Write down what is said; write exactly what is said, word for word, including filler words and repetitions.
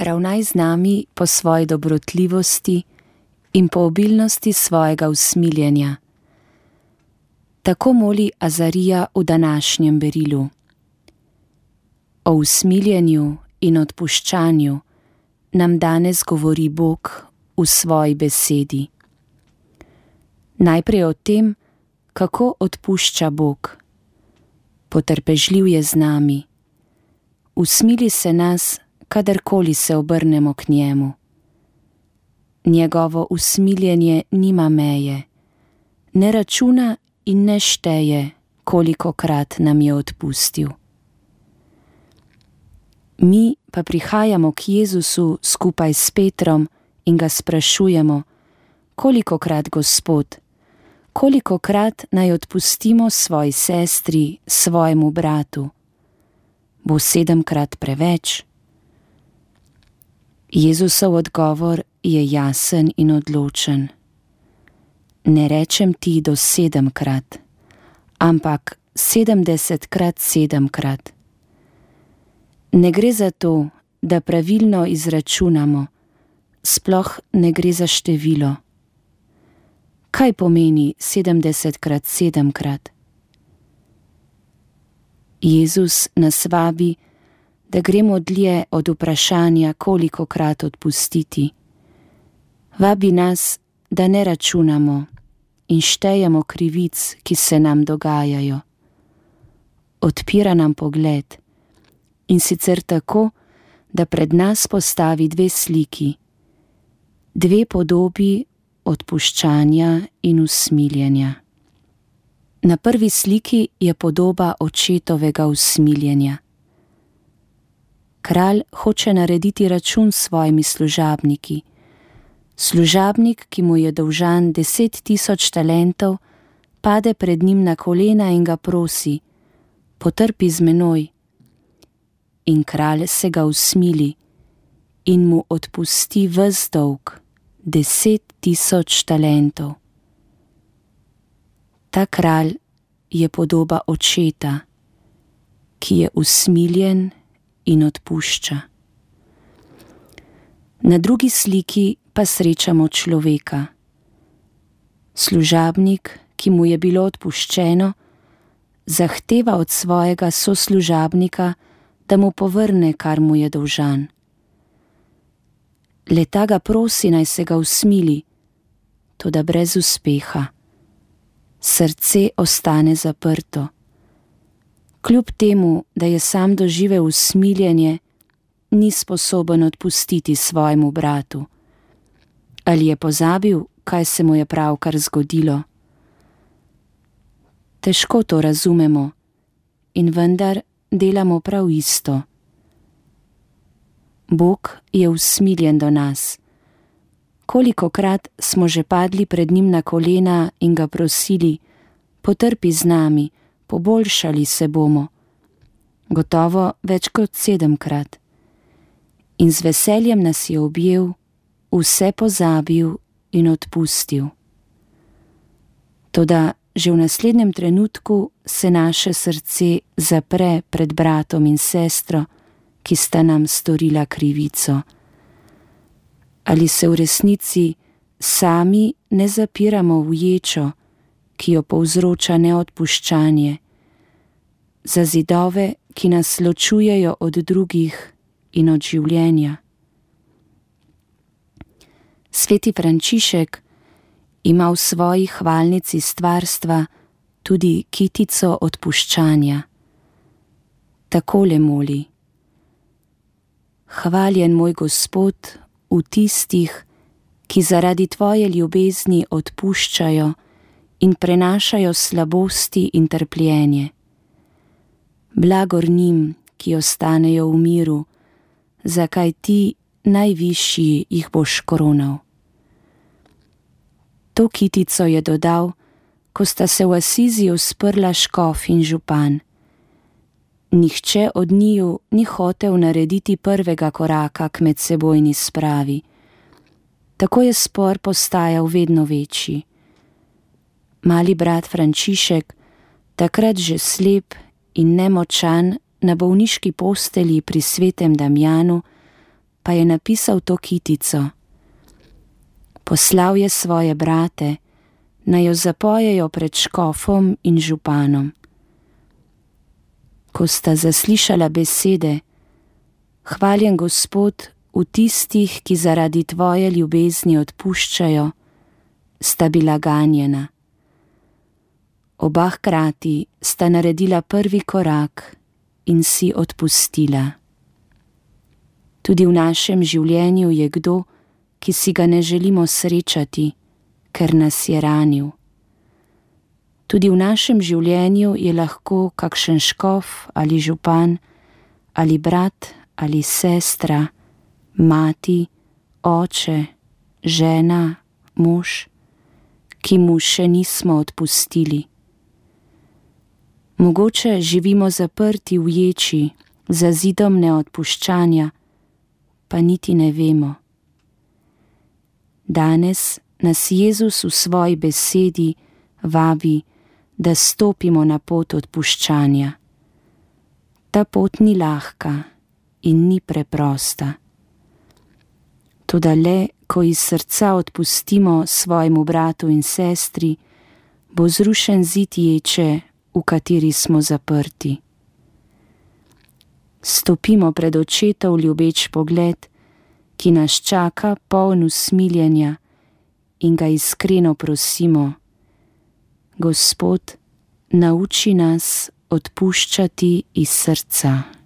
ravnaj z nami po svoji dobrotljivosti in po obilnosti svojega usmiljenja. Tako moli Azarija v današnjem berilu. O usmiljenju in odpuščanju nam danes govori Bog v svoji besedi. Najprej o tem, kako odpušča Bog. Potrpežljiv je z nami. Usmili se nas, kadarkoli se obrnemo k njemu. Njegovo usmiljenje nima meje, ne računa in ne šteje, kolikokrat nam je odpustil. Mi pa prihajamo k Jezusu skupaj s Petrom in ga sprašujemo, kolikokrat, Gospod, kolikokrat naj odpustimo svoji sestri, svojemu bratu? Bo sedemkrat preveč? Jezusov odgovor je jasen in odločen. Ne rečem ti do sedemkrat, ampak sedemdesetkrat sedemkrat. Ne gre za to, da pravilno izračunamo, sploh ne gre za število. Kaj pomeni sedemdesetkrat sedemkrat? Jezus nas vabi, da gremo dlje od vprašanja, kolikokrat odpustiti. Vabi nas, da ne računamo in štejemo krivic, ki se nam dogajajo. Odpira nam pogled, in sicer tako, da pred nas postavi dve sliki, dve podobi odpuščanja in usmiljenja. Na prvi sliki je podoba očetovega usmiljenja. Kralj hoče narediti račun s svojimi služabniki. Služabnik, ki mu je dolžan deset tisoč talentov, pade pred njim na kolena in ga prosi: potrpi z menoj. In kralj se ga usmili in mu odpusti ves dolg, deset tisoč talentov. Ta kralj je podoba očeta, ki je usmiljen in odpušča. Na drugi sliki pa srečamo človeka. Služabnik, ki mu je bilo odpuščeno, zahteva od svojega soslužabnika, da mu povrne, kar mu je dolžan. Le ta ga prosi, naj se ga usmili, toda brez uspeha. Srce ostane zaprto. Kljub temu, da je sam doživel usmiljenje, ni sposoben odpustiti svojemu bratu. Ali je pozabil, kaj se mu je pravkar zgodilo? Težko to razumemo in vendar delamo prav isto. Bog je usmiljen do nas. Kolikokrat smo že padli pred njim na kolena in ga prosili: potrpi z nami, poboljšali se bomo. Gotovo več kot sedemkrat. In z veseljem nas je objel, vse pozabil in odpustil. Toda že v naslednjem trenutku se naše srce zapre pred bratom in sestro, ki sta nam storila krivico. Ali se v resnici sami ne zapiramo v ječo, ki jo povzroča neodpuščanje, za zidove, ki nas ločujejo od drugih in od življenja? Sveti Frančišek ima v svoji hvalnici stvarstva tudi kitico odpuščanja. Takole moli: hvaljen moj Gospod v tistih, ki zaradi tvoje ljubezni odpuščajo in prenašajo slabosti in trpljenje. Blagor njim, ki ostanejo v miru, zakaj ti, najvišji, jih boš koronal. To kitico je dodal, ko sta se v Asiziju sprla škof in župan. Nihče od njiju ni hotel narediti prvega koraka k medsebojni spravi. Tako je spor postajal vedno večji. Mali brat Frančišek, takrat že slep in nemočan, na bolniški postelji pri svetem Damjanu, pa je napisal to kitico. Poslal je svoje brate, naj jo zapojejo pred škofom in županom. Ko sta zaslišala besede: Hvaljen Gospod v tistih, ki zaradi tvoje ljubezni odpuščajo, sta bila ganjena. Oba hkrati sta naredila prvi korak in si odpustila. Tudi v našem življenju je kdo, ki si ga ne želimo srečati, ker nas je ranil. Tudi v našem življenju je lahko kakšen škof ali župan, ali brat ali sestra, mati, oče, žena, mož, ki mu še nismo odpustili. Mogoče živimo zaprti v ječi, za zidom neodpuščanja, pa niti ne vemo. Danes nas Jezus v svoji besedi vabi, da stopimo na pot odpuščanja. Ta pot ni lahka in ni preprosta. Toda le, ko iz srca odpustimo svojemu bratu in sestri, bo zrušen zid ječe, v kateri smo zaprti. Stopimo pred očetov ljubeč pogled, ki nas čaka poln usmiljenja, in ga iskreno prosimo: Gospod, nauči nas odpuščati iz srca.